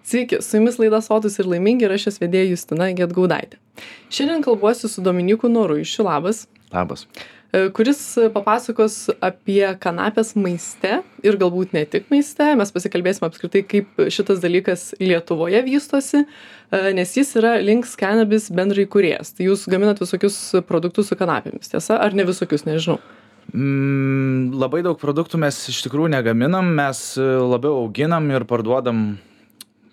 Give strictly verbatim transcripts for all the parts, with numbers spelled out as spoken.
Sveiki, su jumis laida Sotūs ir laimingi ir aš jos vedėja Justina Gedgaudaitė. Šiandien kalbuosiu su Dominyku Noruišiu, labas, Labas. e, kuris papasakos apie kanapės maiste ir galbūt ne tik maiste. Mes pasikalbėsime apskritai, kaip šitas dalykas Lietuvoje vystosi, e, nes jis yra Links Cannabis bendraįkūrėjas. Tai jūs gaminat visokius produktus su kanapėmis, tiesa? Ar ne visokius, nežinau. Mm, labai daug produktų mes iš tikrųjų negaminam, mes e, labiau auginam ir parduodam,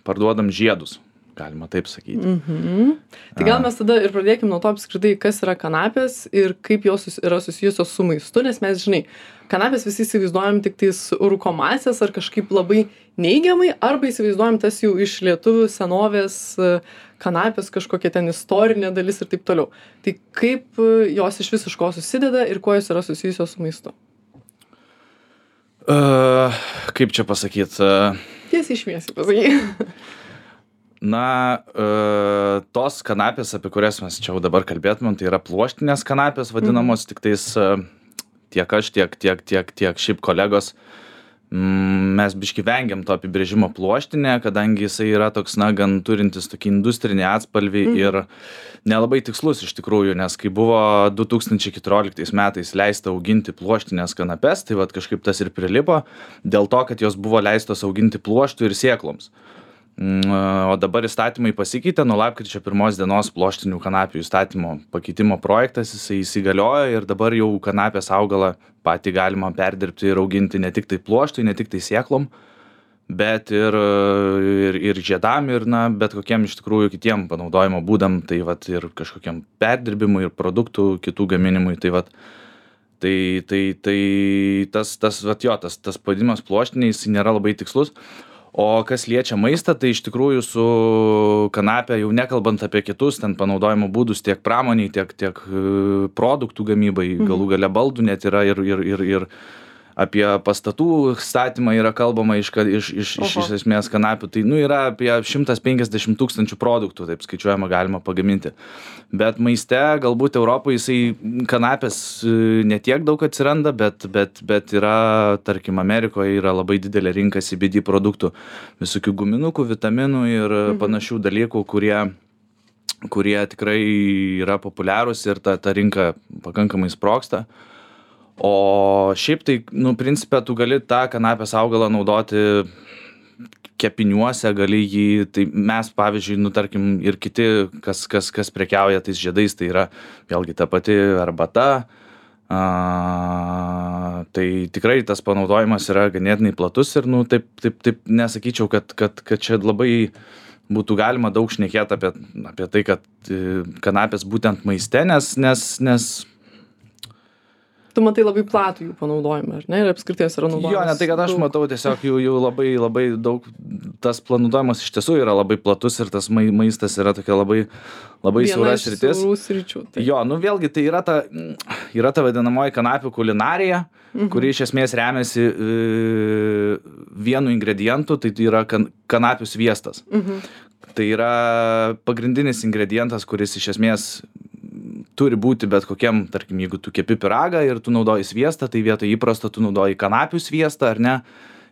parduodam žiedus, galima taip sakyti. Mhm. Tai gal mes tada ir pradėkim nuo to apskritai, kas yra kanapės ir kaip jos sus- yra susijusios su maistu, nes mes, žinai, kanapės visi įsivaizduojam tik tais rūkomąsias ar kažkaip labai neigiamai, arba įsivaizduojam tas jau iš lietuvių senovės e, kanapės kažkokia ten istorinė dalis ir taip toliau. Tai kaip e, jos iš vis iš ko susideda ir kuo jos yra susijusios su maistu? Uh, kaip čia pasakyti? Uh, Tiesiai šviesiai pasakyk. na, uh, tos kanapės, apie kurias mes čia jau dabar kalbėtumėm, tai yra pluoštinės kanapės vadinamos, tik tais uh, tiek aš, tiek, tiek, tiek, tiek šiaip kolegos. Mm, mes biški vengiam to apibrėžimo pluoštinė, kadangi jisai yra toks, na, gan turintis tokį industrinį atspalvį Mhm. ir nelabai tikslus iš tikrųjų, nes kai buvo du tūkstančiai keturioliktais metais leista auginti pluoštinės kanapes, tai vat kažkaip tas ir prilipo, dėl to, kad jos buvo leistos auginti pluoštų ir sėkloms. Mm, O dabar įstatymai pasikeitė, nuo lapkričio pirmos dienos pluoštinių kanapių įstatymo pakeitimo projektas, jisai įsigaliojo ir dabar jau kanapės augalą patį galima perdirbti ir auginti ne tik tai pluoštui, ne tik tai sėklom, bet ir, ir, ir žiedam, ir na, bet kokiem iš tikrųjų kitiem panaudojimo būdam, tai vat ir kažkokiam perdirbimui, ir produktų kitų gaminimui, tai vat. Tai, tai, tai tas, tas, vat jo, tas, tas pavadinimas pluoštiniai, jis nėra labai tikslus. O kas liečia maistą, tai iš tikrųjų su kanapė, jau nekalbant apie kitus ten panaudojimo būdus, tiek pramoniai, tiek, tiek e, produktų gamybai, galų gale baldų net yra ir, ir, ir, ir apie pastatų statymą yra kalbama iš, ka- iš, iš, iš, Oho. iš esmės kanapių. Tai nu, yra apie šimtas penkiasdešimt tūkstančių produktų, taip skaičiuojama, galima pagaminti. Bet maiste galbūt Europoje jisai kanapės e, ne tiek daug atsiranda, bet, bet, bet yra, tarkim, Amerikoje yra labai didelė rinka C B D produktų, visokių guminukų, vitaminų ir Mhm. panašių dalykų, kurie kurie tikrai yra populiarūs ir ta, ta rinka pakankamai sprogsta. O šiaip tai, nu, principė, tu gali tą kanapės augalą naudoti kepiniuose, gali jį, tai mes, pavyzdžiui, nu, tarkim, ir kiti, kas, kas, kas prekiauja tais žiedais, tai yra vėlgi ta pati arbata. A, tai tikrai tas panaudojimas yra ganėtinai platus ir, nu, taip, taip, taip nesakyčiau, kad, kad, kad čia labai būtų galima daug šnekėti apie, apie tai, kad e, kanapės būtent maiste, nes, nes, nes Tu matai labai platų jų panaudojimą, ar ne? Ir apskritai jos yra naudojamos. jo, ne tai, kad aš daug. matau tiesiog jų, jų labai, labai daug, tas panaudojimas iš tiesų yra labai platus ir tas mai- maistas yra tokia labai, labai Viena siaura iš sritis. siaurų sričių. Tai. Jo, nu vėlgi tai yra ta, yra ta vadinamoji kanapių kulinarija, Mhm. kuri iš esmės remiasi e, vienu ingredientu, tai tai yra kan, kanapių sviestas. Mhm. Tai yra pagrindinis ingredientas, kuris iš esmės turi būti bet kokiam, tarkim, jeigu tu kepi pyragą ir tu naudoji sviestą, tai vietoj įprasto tu naudoji kanapių sviestą, ar ne?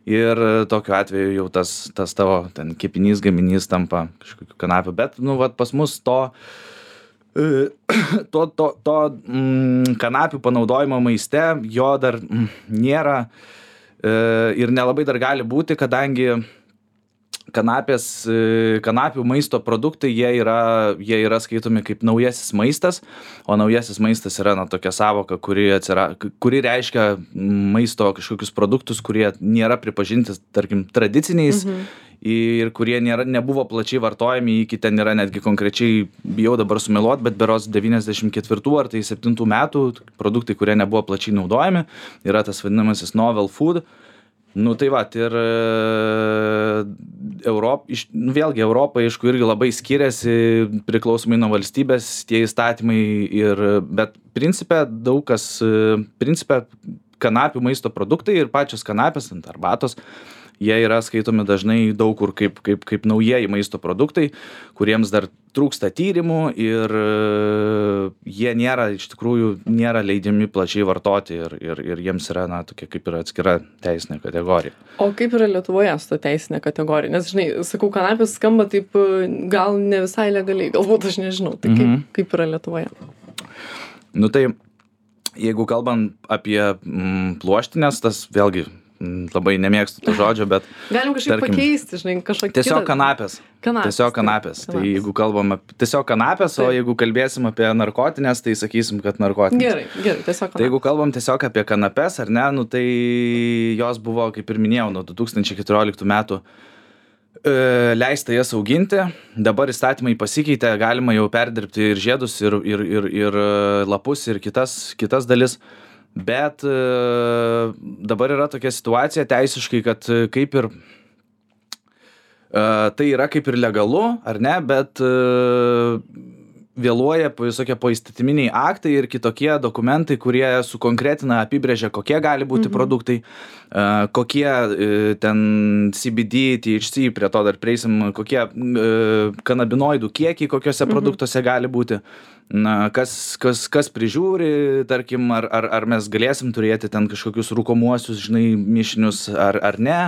Ir tokiu atveju jau tas, tas tavo ten kepinys, gaminys tampa kažkokiu kanapiu. Bet, nu, vat pas mus to, e, to, to, to mm, kanapių panaudojimo maiste, jo dar mm, nėra e, ir nelabai dar gali būti, kadangi kanapės, e, kanapių maisto produktai, jie yra, jie yra skaitomi kaip naujasis maistas, o naujasis maistas yra, na, tokia savoka, kuri, atsira, kuri reiškia maisto kažkokius produktus, kurie nėra pripažinti, tarkim, tradiciniais Mhm. ir kurie nėra, nebuvo plačiai vartojami, iki ten yra netgi konkrečiai, bijau dabar sumeluot, bet berods devyniasdešimt ketvirtų ar tai septintų metų produktai, kurie nebuvo plačiai naudojami, yra tas vadinamasis novel food. Nu tai va, ir e, Europ, iš, nu, vėlgi Europa, aišku, irgi labai skiriasi priklausomai nuo valstybės tie įstatymai, ir, bet principe daug kas, e, principe kanapių maisto produktai ir pačios kanapės ant arbatos, jie yra skaitomi dažnai daug kur kaip, kaip, kaip naujieji maisto produktai, kuriems dar trūksta tyrimų ir jie nėra, iš tikrųjų, nėra leidžiami plačiai vartoti ir, ir, ir jiems yra, na, tokia kaip ir atskira teisinė kategorija. O kaip yra Lietuvoje su ta teisinė kategorija? Nes, žinai, sakau, kanapės skamba taip gal ne visai legaliai, galbūt aš nežinau. Tai kaip, mm-hmm. kaip yra Lietuvoje? Nu tai, jeigu kalbant apie mm, pluoštinės, tas vėlgi mm, labai nemėgstu to žodžio, bet... Galim kažkaip tarkim, pakeisti, žinai, kažkokį... Tiesiog kitą... kanapės. Kanapės. Tiesiog kanapės. Tai, tai jeigu kalbam apie... Tiesiog kanapės, taip. O jeigu kalbėsim apie narkotinės, tai sakysim, kad narkotinės. Gerai, gerai, tiesiog kanapės. Tai jeigu kalbam tiesiog apie kanapės, ar ne, nu tai jos buvo, kaip ir minėjau, nuo du tūkstančiai keturioliktų metų leista jas auginti, dabar įstatymai pasikeitė, galima jau perdirbti ir žiedus, ir, ir, ir, ir lapus, ir kitas, kitas dalis, bet dabar yra tokia situacija teisiškai, kad kaip ir tai yra kaip ir legalu, ar ne, bet vėluoja visokie poįstatyminiai aktai ir kitokie dokumentai, kurie sukonkretina, apibrėžia, kokie gali būti mhm. produktai, uh, kokie uh, ten C B D, T H C, prie to dar prieisim, kokie uh, kanabinoidų kiekiai kokiuose mhm. produktuose gali būti, na, kas, kas, kas prižiūri, tarkim, ar, ar, ar mes galėsim turėti ten kažkokius rūkomuosius, žinai, mišinius, ar, ar ne.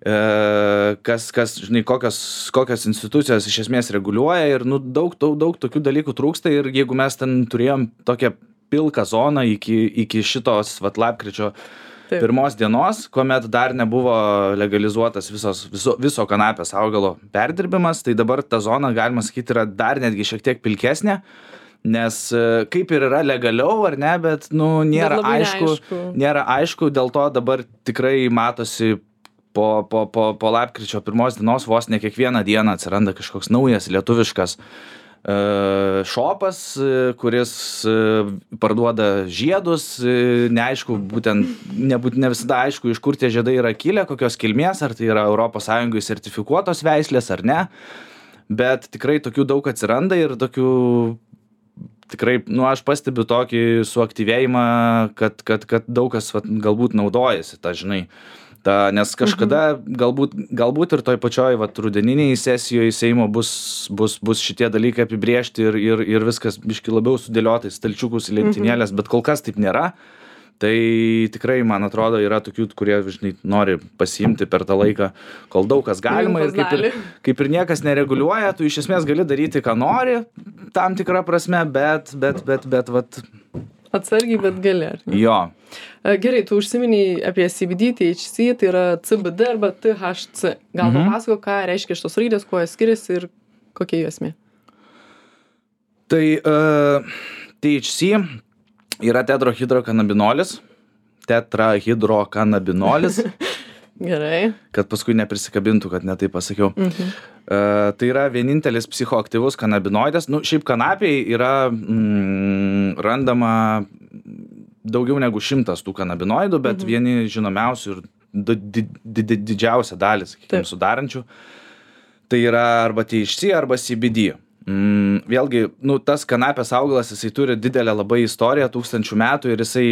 Kas, kas, žinai, kokios, kokios institucijos iš esmės reguliuoja ir, nu, daug, daug, daug tokių dalykų trūksta ir jeigu mes ten turėjom tokią pilką zoną iki, iki šitos, vat, lapkričio Taip. pirmos dienos, kuomet dar nebuvo legalizuotas visos, viso, viso kanapės augalo perdirbimas, tai dabar ta zona, galima sakyti, yra dar netgi šiek tiek pilkesnė, nes kaip ir yra legaliau, ar ne, bet, nu, nėra aišku, aišku, nėra aišku, dėl to dabar tikrai matosi Po, po, po, po lapkričio pirmos dienos vos ne kiekvieną dieną atsiranda kažkoks naujas lietuviškas uh, šopas, kuris uh, parduoda žiedus, uh, neaišku, būtent, nebūt, ne visada aišku, iš kur tie žiedai yra kilę, kokios kilmės, ar tai yra Europos Sąjungoje sertifikuotos veislės ar ne, bet tikrai tokių daug atsiranda ir tokių tikrai, nu, aš pastebiu tokį suaktyvėjimą, kad, kad, kad daug kas vat, galbūt naudojasi, tą, žinai, Ta, nes kažkada mhm. galbūt, galbūt ir toj pačioj vat, rudeniniai sesijoje Seimo bus, bus, bus šitie dalykai apibriežti ir, ir, ir viskas biški labiau sudėliotai, stalčiukus į lentynėlės, mhm. bet kol kas taip nėra. Tai tikrai, man atrodo, yra tokių, kurie, žinai, nori pasiimti per tą laiką, kol daug kas galima ir kaip, ir kaip ir niekas nereguliuoja, tu iš esmės gali daryti, ką nori, tam tikrą prasme, bet, bet, bet, bet, vat... Atsargiai, bet gali, ar ne? Jo. Gerai, tu užsiminiai apie C B D, T H C, tai yra C B D arba T H C. Gal mhm. papasako, ką reiškia šitos raidės, kuo jie skiriasi ir kokia jų esmė? Tai uh, T H C yra tetrahidrokanabinolis. Tetrahidrokanabinolis. Gerai. Kad paskui neprisikabintų, kad ne taip pasakiau. Mhm. Uh, tai yra vienintelis psichoaktyvus kanabinoidas. Nu, šiaip kanapiai yra mm, randama daugiau negu šimtas tų kanabinoidų, bet mhm. vieni žinomiausių ir di, di, di, didžiausia dalis, sakykime, sudarančių. Tai yra arba T H C, arba C B D. Mm, vėlgi, nu, tas kanapės augalas, jisai turi didelę labai istoriją, tūkstančių metų ir jisai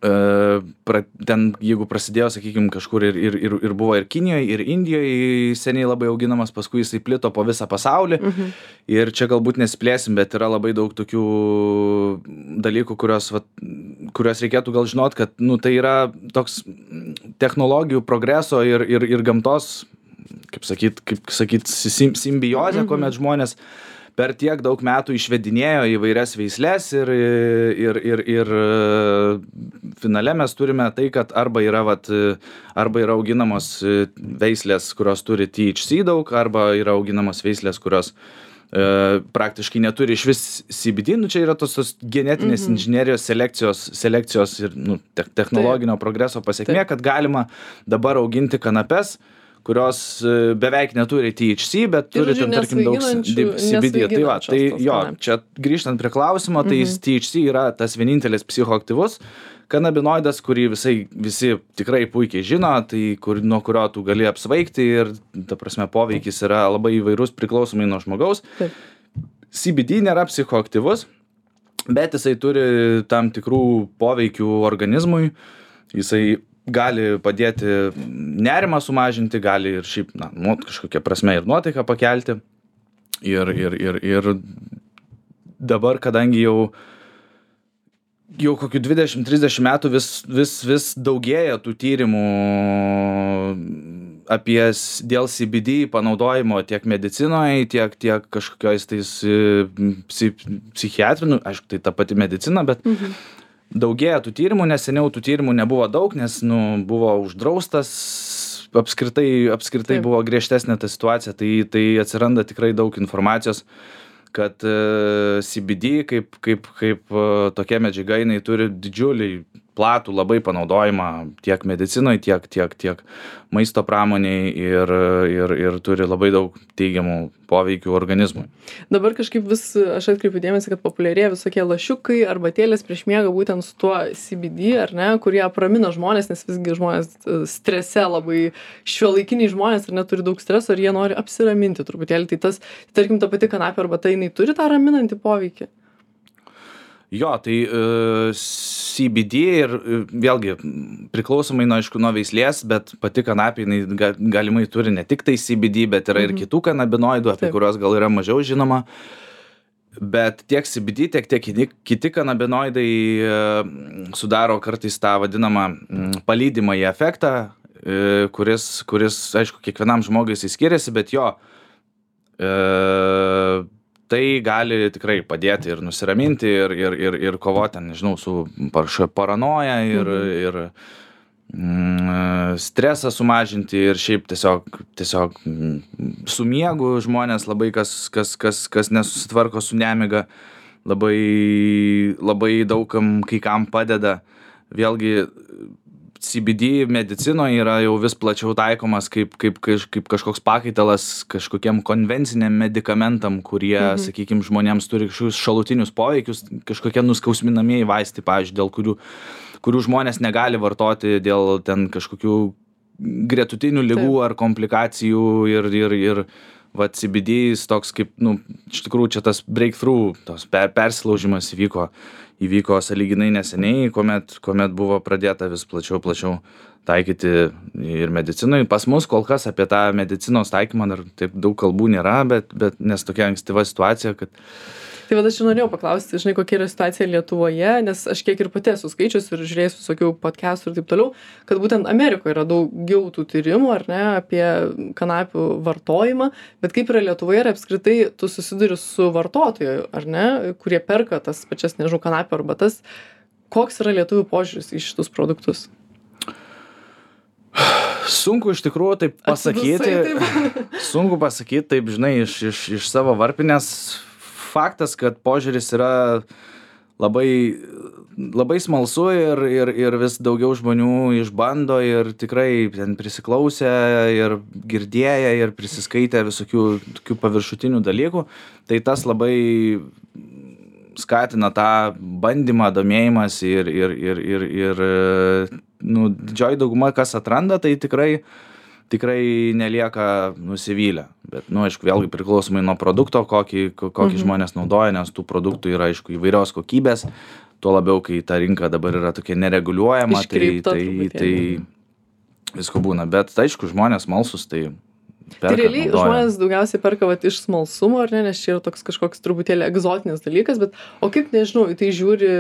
Uh, pra, ten, jeigu prasidėjo, sakykime, kažkur ir, ir, ir, ir buvo ir Kinijoje, ir Indijoje seniai labai auginamas, paskui jisai plito po visą pasaulį. Mhm. Ir čia galbūt nesiplėsim, bet yra labai daug tokių dalykų, kurios, vat, kurios reikėtų gal žinot, kad, nu, tai yra toks technologijų progreso ir, ir, ir gamtos, kaip sakyt, kaip sakyt, sim, simbiozė, mhm. kuomet žmonės per tiek daug metų išvedinėjo įvairias veislės ir, ir, ir, ir finale mes turime tai, kad arba yra, vat, arba yra auginamos veislės, kurios turi T H C daug, arba yra auginamos veislės, kurios e, praktiškai neturi iš vis C B D. Nu, čia yra tos, tos genetinės mhm. inžinerijos selekcijos, selekcijos ir nu, te, technologinio Taip. progreso pasiekmė, Taip. kad galima dabar auginti kanapes, kurios beveik neturi T H C, bet turi ten, tarkim, daug C B D. Tai va, tai jo, čia grįžtant prie klausimo, tai mhm. T H C yra tas vienintelis psichoaktyvus kanabinoidas, kurį visai, visi tikrai puikiai žino, tai kur, nuo kurio tu gali apsvaigti ir, ta prasme, poveikis yra labai įvairus priklausomai nuo žmogaus. Taip. C B D nėra psichoaktyvus, bet jisai turi tam tikrų poveikių organizmui. Jisai gali padėti nerimą sumažinti, gali ir šiaip, na, nu, kažkokia prasme ir nuotaiką pakelti. Ir, ir, ir, ir dabar, kadangi jau, jau kokių dvidešimt trisdešimt metų vis, vis, vis daugėja tų tyrimų apie dėl C B D panaudojimo tiek medicinoje, tiek, tiek kažkokiais tais psichiatrinių, aišku, tai ta pati medicina, bet mhm. daugėja tų tyrimų, nes seniau tų tyrimų nebuvo daug, nes nu, buvo uždraustas, apskritai, apskritai Taip. Buvo griežtesnė ta situacija, tai, tai atsiranda tikrai daug informacijos, kad uh, C B D kaip, kaip, kaip uh, tokia medžiaga, jinai turi didžiulį platų labai panaudojimą tiek medicinoje, tiek, tiek, tiek maisto pramoniai ir, ir, ir turi labai daug teigiamų poveikių organizmui. Dabar kažkaip vis, aš atkreipiu dėmesį, kad populiarėja visokie lašiukai arba tėlės prieš miegą būtent su tuo C B D, ar ne, kurie apramina žmonės, nes visgi žmonės strese labai, šiuolaikiniai žmonės ar neturi daug streso ir jie nori apsiraminti truputėlį. Tai tas, tarkim, ta pati kanapė arba tai jinai turi tą raminantį poveikį? Jo, tai uh, C B D ir uh, vėlgi priklausomai nuo, aišku, nuo veislės, bet pati kanapė jinai ga, galimai turi ne tik tai C B D, bet yra mhm. ir kitų kanabinoidų, apie Taip. Kuriuos gal yra mažiau žinoma. Bet tiek C B D, tiek, tiek kiti kanabinoidai uh, sudaro kartais tą vadinamą um, palydimąjį efektą, uh, kuris, kuris, aišku, kiekvienam žmogui jis skiriasi, bet jo uh, tai gali tikrai padėti ir nusiraminti ir, ir, ir, ir kovoti, nežinau, su paranoja ir, mhm. ir mm, stresą sumažinti ir šiaip tiesiog, tiesiog su miegu žmonės labai, kas, kas, kas, kas nesusitvarko su nemiga, labai, labai daugam kai kam padeda. Vėlgi, C B D medicinoje yra jau vis plačiau taikomas kaip, kaip, kaip kažkoks pakaitalas kažkokiem konvenciniam medikamentam, kurie, mhm. sakykime, žmonėms turi kažkokius šalutinius poveikius, kažkokie nuskausminamieji vaistai, pavyzdžiui, dėl kurių, kurių žmonės negali vartoti dėl ten kažkokių gretutinių ligų Taip. Ar komplikacijų ir, ir, ir va, C B D toks kaip, nu, iš tikrųjų čia tas breakthrough, tos per, persilaužimas įvyko. įvyko sąlyginai neseniai, kuomet, kuomet buvo pradėta vis plačiau, plačiau taikyti ir medicinoje. Pas mus kol kas apie tą medicinos taikymą dar taip daug kalbų nėra, bet, bet nes tokia ankstyva situacija, kad... Tai vad aš norėjau paklausti, žinai, kokia yra situacija Lietuvoje, nes aš kiek ir pati esu skaičius ir žiūrėjus visokių podcastų ir taip toliau, kad būtent Amerikoje yra daugiau tų tyrimų, ar ne, apie kanapių vartojimą, bet kaip yra Lietuvoje ir apskritai tu susiduri su vartotoju, ar ne, kurie perka tas pačias, nežinau, kanapių arbatas, koks yra lietuvių požiūris į šitus produktus? Sunku iš tikrųjų taip pasakyti, taip. sunku pasakyti, taip, žinai, iš, iš, iš savo varpinės. Faktas, kad požiūris yra labai, labai smalsu ir, ir, ir vis daugiau žmonių išbando ir tikrai ten prisiklausę ir girdėję ir prisiskaitę visokių tokių paviršutinių dalykų. Tai tas labai skatina tą bandymą, domėjimas ir, ir, ir, ir, ir nu, didžioji dauguma, kas atranda, tai tikrai tikrai nelieka nusivylę. Bet, nu, aišku, vėlgi priklausomai nuo produkto, kokį, kokį mhm. žmonės naudoja, nes tų produktų yra, aišku, įvairios kokybės, tuo labiau, kai ta rinka dabar yra tokia nereguliuojama, Iškreipta, tai, tai, tai visko būna. Bet, aišku, žmonės smalsūs, tai perka, Tai realiai naudoja. Žmonės daugiausiai perka vat, iš smalsumo, ar ne, nes čia yra toks kažkoks truputėlį egzotinis dalykas, bet o kaip, nežinau, į tai žiūri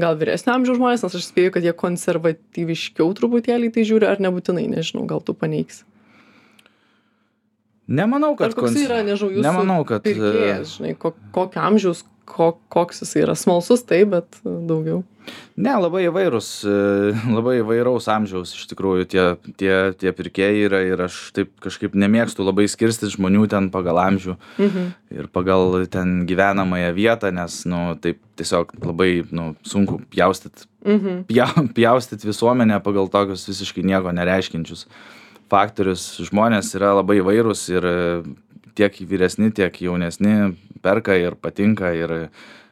gal vyresnio amžiaus žmonės, nes aš spėju, kad jie konservatyviškiau truputėlį į tai žiūri, ar nebūtinai, nežinau, gal tu paneigsi. Nemanau, kad... Ar koks yra, nežinau, jūsų Nemanau, kad... pirkėjas, žinai, ko, kokio amžiaus, ko, koks jis yra smalsus, taip, bet daugiau. Ne, labai įvairūs, labai įvairaus amžiaus iš tikrųjų tie, tie, tie pirkėjai yra ir aš taip kažkaip nemėgstu labai skirstyti žmonių ten pagal amžių mhm. ir pagal ten gyvenamąją vietą, nes, nu, taip tiesiog labai, nu, sunku pjaustyt, mhm. pja, pjaustyt visuomenę pagal tokius visiškai nieko nereiškinčius faktorius. Žmonės yra labai įvairūs ir tiek vyresni, tiek jaunesni perka ir patinka ir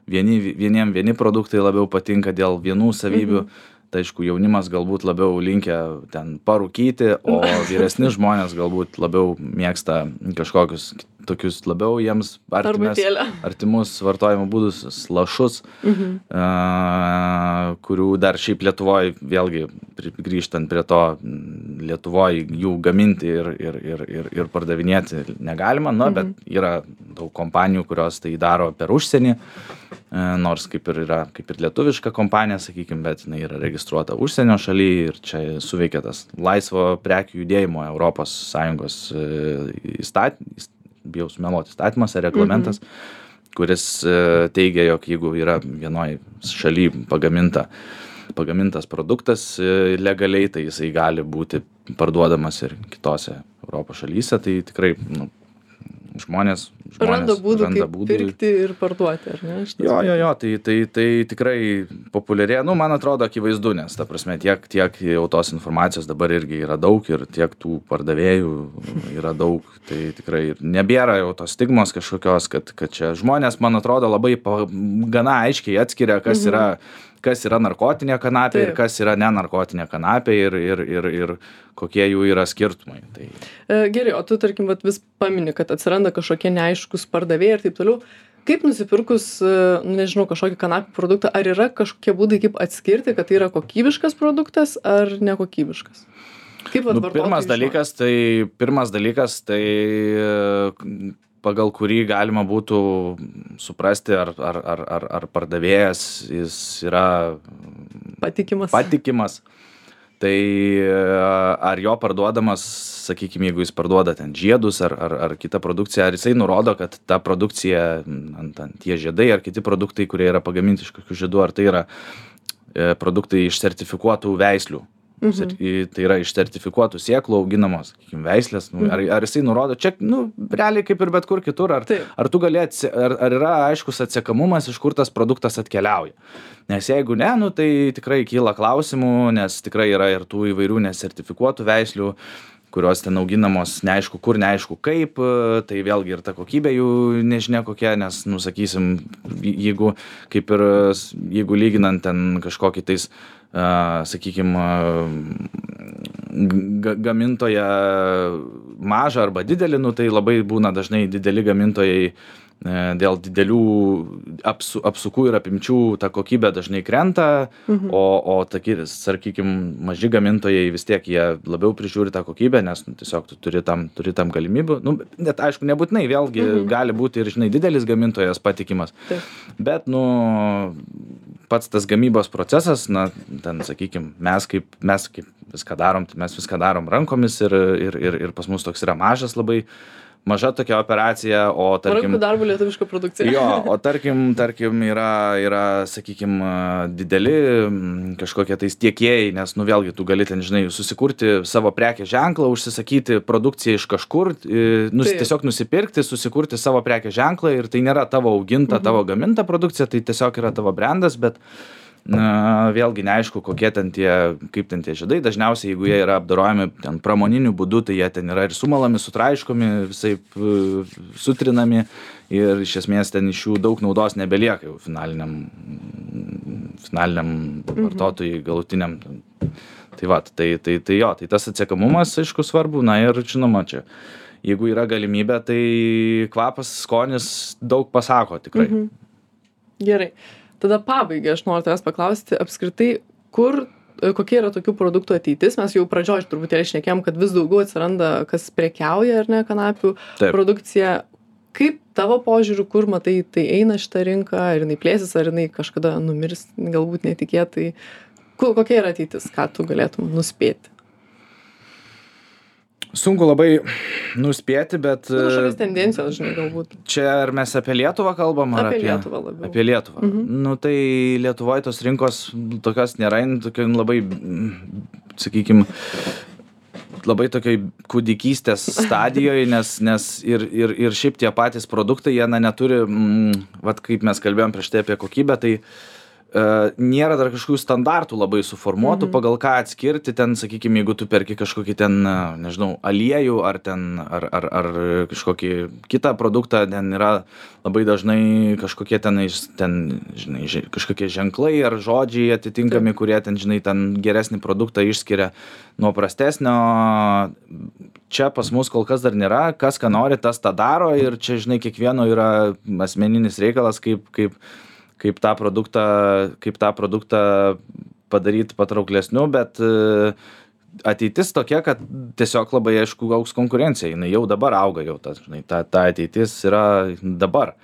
vieni, vieniem vieni produktai labiau patinka dėl vienų savybių. Mhm. Tai aišku, jaunimas galbūt labiau linkę ten parūkyti, o vyresni žmonės galbūt labiau mėgsta kažkokius tokius labiau jiems artimes, Arbatėlę. artimus vartojimo būdus, lašus, Mhm. a, kurių dar šiaip Lietuvoje, vėlgi pri- grįžtant prie to, m, Lietuvoje jų gaminti ir, ir, ir, ir, ir pardavinėti negalima, nu, bet yra daug kompanijų, kurios tai daro per užsienį, e, nors kaip ir yra, kaip ir lietuviška kompanija, sakykime, bet jinai yra registruota užsienio šalyje ir čia suveikia tas laisvo prekių judėjimo Europos Sąjungos įstatymas, bijau sumeluoti, įstatymas ar reglamentas, kuris e, teigia, jog jeigu yra vienoje šalyje pagaminta, pagamintas produktas e, legaliai, tai jisai gali būti parduodamas ir kitose Europos šalyse, tai tikrai nu, žmonės, žmonės Randa būdų, randa kaip būdų. pirkti ir parduoti, ar ne? Šitas Jo, jo, jo, tai, tai, tai tikrai populiarėja, nu, man atrodo, akivaizdu, nes, ta prasme, tiek, tiek jau tos informacijos dabar irgi yra daug ir tiek tų pardavėjų yra daug, tai tikrai nebėra jau tos stigmos kažkokios, kad, kad čia žmonės, man atrodo, labai pa, gana aiškiai atskiria, kas Mhm. yra kas yra narkotinė kanapė ir Taip. kas yra nenarkotinė kanapė ir, ir, ir, ir kokie jų yra skirtumai. Tai... E, Gerai, o tu, tarkim, vat, vis pamini, kad atsiranda kažkokie neaiškus pardavėjai ir taip toliau. Kaip nusipirkus, e, nu, nežinau, kažkokį kanapį produktą, ar yra kažkokie būdai, kaip atskirti, kad tai yra kokybiškas produktas ar nekokybiškas? Kaip vat Nu, vartotojui pirmas žinoti? dalykas, tai, pirmas dalykas, tai e, pagal kurį galima būtų suprasti, ar, ar, ar, ar, ar pardavėjas jis yra Patikimas. patikimas. Tai e, ar jo parduodamas, sakykime, jeigu jis parduoda ten žiedus ar, ar, ar kitą produkciją, ar jisai nurodo, kad ta produkcija, ant, ant tie žiedai ar kiti produktai, kurie yra pagaminti iš kokių žiedų, ar tai yra e, produktai iš sertifikuotų veislių. Mhm. Tai yra iš sertifikuotų sėklų auginamos, sakykime, veislės. Nu, ar, ar jisai nurodo, čia, nu, realiai kaip ir bet kur kitur, ar, Taip. ar tu gali, atse, ar, ar yra aiškus atsekamumas, iš kur tas produktas atkeliauja. Nes jeigu ne, nu, tai tikrai kyla klausimų, nes tikrai yra ir tų įvairių nesertifikuotų veislių, kurios ten auginamos neaišku kur, neaišku kaip, tai vėlgi ir ta kokybė jų nežinia kokia, nes, nu, sakysim, jeigu, kaip ir, jeigu lyginant ten kažkokį tais, uh, sakykim, uh, gamintoją mažą arba didelį, nu, tai labai būna dažnai dideli gamintojai dėl didelių apsu, apsukų ir apimčių ta kokybė dažnai krenta, mhm. o, o takis, sakykime, maži gamintojai vis tiek jie labiau prižiūri tą kokybę, nes nu, tiesiog tu turi tam, turi tam galimybių. Nu, net aišku, nebūtinai, vėlgi mhm. gali būti ir, žinai, didelis gamintojas patikimas. Taip. Bet, nu, pats tas gamybos procesas, na, ten, sakykime, mes kaip, mes kaip viską darom, tai mes viską darom rankomis ir, ir, ir, ir pas mus toks yra mažas labai, maža tokia operacija, o tarkim... Rankų darbo lietuviška produkcija. Jo, o tarkim, tarkim yra, yra, sakykim, dideli kažkokie tais tiekėjai, nes, nu, vėlgi, tu gali ten, žinai, susikurti savo prekės ženklą, užsisakyti produkciją iš kažkur, nus, tiesiog nusipirkti, susikurti savo prekės ženklą ir tai nėra tavo auginta, mhm. tavo gaminta produkcija, tai tiesiog yra tavo brandas, bet... Na, vėlgi neaišku, kokie ten tie, kaip ten tie žiedai, dažniausiai, jeigu jie yra apdorojami ten pramoniniu būdu, tai jie ten yra ir sumalami, sutraiškomi, visaip sutrinami ir iš esmės ten iš jų daug naudos nebelieka jau finaliniam, finaliniam mhm. vartotojui, galutiniam. Tai va, tai, tai, tai jo, tai tas atsiekamumas, aišku, svarbu, na ir žinoma čia. Jeigu yra galimybė, tai kvapas, skonis daug pasako tikrai. Mhm. Gerai. Tada pabaigai aš noriu tavęs paklausti apskritai, kur, kokia yra tokių produktų ateitis. Mes jau pradžioj truputėlį šnekėjom, kad vis daugiau atsiranda, kas prekiauja, ar ne, kanapių Taip. produkcija. Kaip tavo požiūriu, kur matai, tai eina šitą rinką, ar jinai plėsis, ar jinai kažkada numirs, galbūt netikėtai. Kokia yra ateitis, ką tu galėtum nuspėti? Sunku labai nuspėti, bet... Nu, kažkokios tendencijos, žinai, galbūt. Čia ar mes apie Lietuvą kalbam, ar apie... apie Lietuvą labiau. Apie Lietuvą. Mhm. Nu, tai Lietuvoje tos rinkos tokios nėra, tokia labai, sakykime, labai tokioj kūdikystės stadijoje, nes, nes ir, ir, ir šiaip tie patys produktai, jie na, neturi, mm, vat kaip mes kalbėjom prieš tai apie kokybę, tai nėra dar kažkokių standartų labai suformuotų, Mhm. pagal ką atskirti ten, sakykime, jeigu tu perki kažkokį ten, nežinau, aliejų ar ten, ar, ar, ar kažkokį kitą produktą, ten yra labai dažnai kažkokie ten, ten žinai, ži- kažkokie ženklai ar žodžiai atitinkami, kurie ten, žinai, ten geresnį produktą išskiria nuo prastesnio. Čia pas mus kol kas dar nėra, kas ką nori, tas tą daro ir čia, žinai, kiekvieno yra asmeninis reikalas, kaip, kaip kaip tą produktą, kaip tą produktą padaryti patrauklesniu, bet e, ateitis tokia, kad tiesiog labai aišku augs konkurencija, jinai jau dabar auga, jau tas, žinai, ta, ta ateitis yra dabar.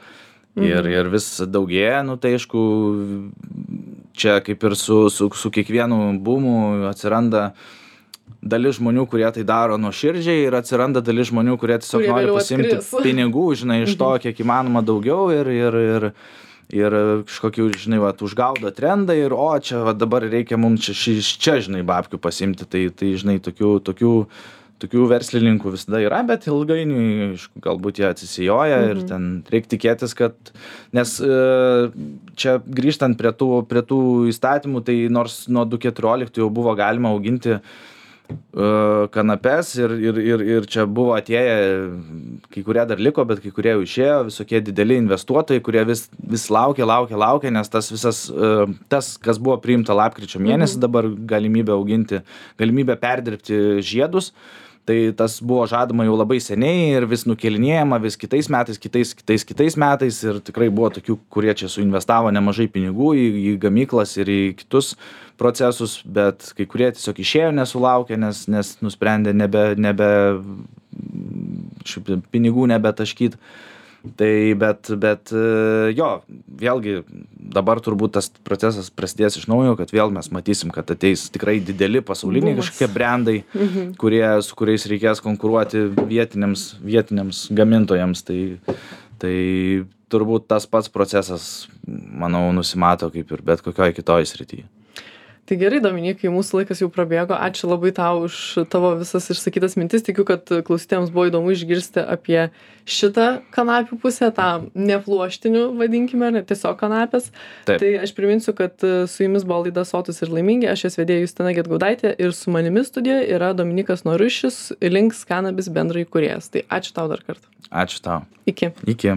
Ir, Mhm. ir vis daugėja, nu tai aišku, čia kaip ir su, su, su kiekvienu būmu atsiranda dalis žmonių, kurie tai daro nuoširdžiai ir atsiranda dalis žmonių, kurie tiesiog Kurie nori vėliau pasimti atkris. pinigų, žinai, iš to kiek įmanoma daugiau ir, ir, ir, ir kažkokių, žinai, va, užgaudo trendą ir o, čia va, dabar reikia mums čia, ši- iš čia, žinai, babkių pasimti, tai, tai žinai, tokių, tokių, tokių verslininkų visada yra, bet ilgainiui, aišku, galbūt jie atsisijoja ir ten reikia tikėtis, kad, nes e, čia grįžtant prie tų, prie tų įstatymų, tai nors nuo du tūkstančiai keturioliktų jau buvo galima auginti kanapes ir, ir, ir, ir čia buvo atėję, kai kurie dar liko, bet kai kurie jau išėjo, visokie dideli investuotojai, kurie vis, vis laukia, laukia, laukia, nes tas visas, tas, kas buvo priimta lapkričio mėnesį, Mhm. dabar galimybė auginti, galimybė perdirbti žiedus, tai tas buvo žadama jau labai seniai ir vis nukelinėjama, vis kitais metais, kitais, kitais, kitais metais ir tikrai buvo tokių, kurie čia suinvestavo nemažai pinigų į, į gamyklas ir į kitus procesus, bet kai kurie tiesiog išėjo nesulaukę, nes, nes nusprendė nebe, nebe šiaip pinigų nebetaškyt. Tai bet, bet e, jo, vėlgi dabar turbūt tas procesas prasidės iš naujo, kad vėl mes matysim, kad ateis tikrai dideli pasauliniai Bumas. kažkokie brandai, kurie, su kuriais reikės konkuruoti vietiniams, vietiniams gamintojams. Tai, tai turbūt tas pats procesas, manau, nusimato kaip ir bet kokioj kitoj srityje. Tai gerai, Dominikai, mūsų laikas jau prabėgo. Ačiū labai tau už tavo visas išsakytas mintis. Tikiu, kad klausytėjams buvo įdomu išgirsti apie šitą kanapių pusę, tą nepluoštinių, vadinkime, ne tiesiog kanapės. Taip. Tai aš priminsiu, kad su jumis buvo laida Sotus ir laimingi. Aš jos vedėja Justina Gedgaudaitė ir su manimi studijoje yra Dominikas Norušis, Links Cannabis bendraįkūrėjas. Tai ačiū tau dar kartą. Ačiū tau. Iki. Iki.